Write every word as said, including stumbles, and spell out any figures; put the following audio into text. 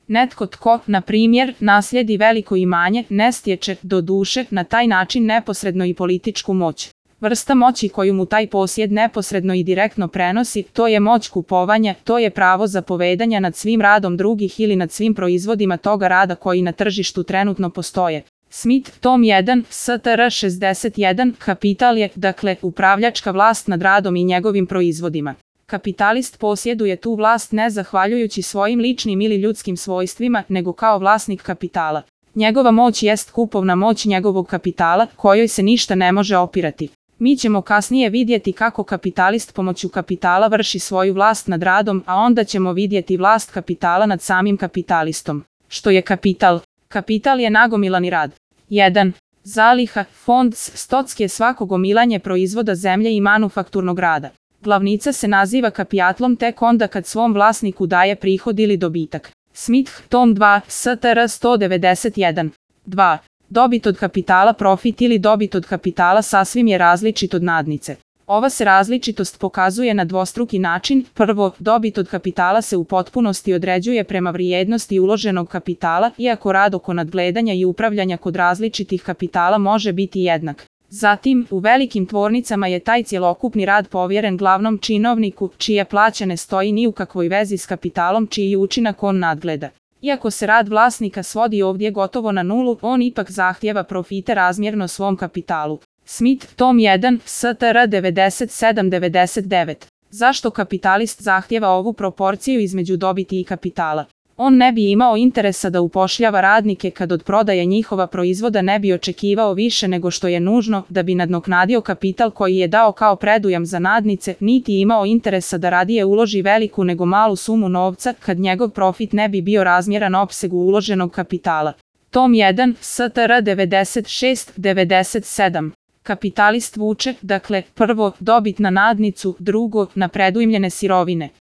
Netko tko, na primjer, naslijedi veliko imanje, ne stječe, doduše, na taj način neposredno i političku moć. Vrsta moći koju mu taj posjed neposredno i direktno prenosi, to je moć kupovanja, to je pravo zapovedanja nad svim radom drugih ili nad svim proizvodima toga rada koji na tržištu trenutno postoje. Smith, tom jedan, S T R šezdeset jedan, kapital je, dakle, upravljačka vlast nad radom i njegovim proizvodima. Kapitalist posjeduje tu vlast ne zahvaljujući svojim ličnim ili ljudskim svojstvima, nego kao vlasnik kapitala. Njegova moć jest kupovna moć njegovog kapitala, kojoj se ništa ne može opirati. Mi ćemo kasnije vidjeti kako kapitalist pomoću kapitala vrši svoju vlast nad radom, a onda ćemo vidjeti vlast kapitala nad samim kapitalistom. Što je kapital? Kapital je nagomilani rad. jedan. Zaliha, fond, stock je svako gomilanje proizvoda zemlje i manufakturnog rada. Glavnica se naziva kapitalom tek onda kad svom vlasniku daje prihod ili dobitak. Smith, tom dva, S T R sto devedeset jedan. dva. Dobit od kapitala, profit ili dobit od kapitala sasvim je različit od nadnice. Ova se različitost pokazuje na dvostruki način. Prvo, dobit od kapitala se u potpunosti određuje prema vrijednosti uloženog kapitala, iako rad oko nadgledanja i upravljanja kod različitih kapitala može biti jednak. Zatim, u velikim tvornicama je taj cjelokupni rad povjeren glavnom činovniku, čija plaća ne stoji ni u kakvoj vezi s kapitalom čiji učinak on nadgleda. Iako se rad vlasnika svodi ovdje gotovo na nulu, on ipak zahtijeva profite razmjerno svom kapitalu. Smith, tom jedan, S T R devedeset sedam devedeset devet. Zašto kapitalist zahtijeva ovu proporciju između dobiti i kapitala? On ne bi imao interesa da upošljava radnike kad od prodaje njihova proizvoda ne bi očekivao više nego što je nužno da bi nadoknadio kapital koji je dao kao predujam za nadnice, niti imao interesa da radije uloži veliku nego malu sumu novca kad njegov profit ne bi bio razmjeran opsegu uloženog kapitala. Tom jedan, S T R devedeset šest devedeset sedam. Kapitalist vuče, dakle, prvo, dobit na nadnicu, drugo, na predujmljene sirovine.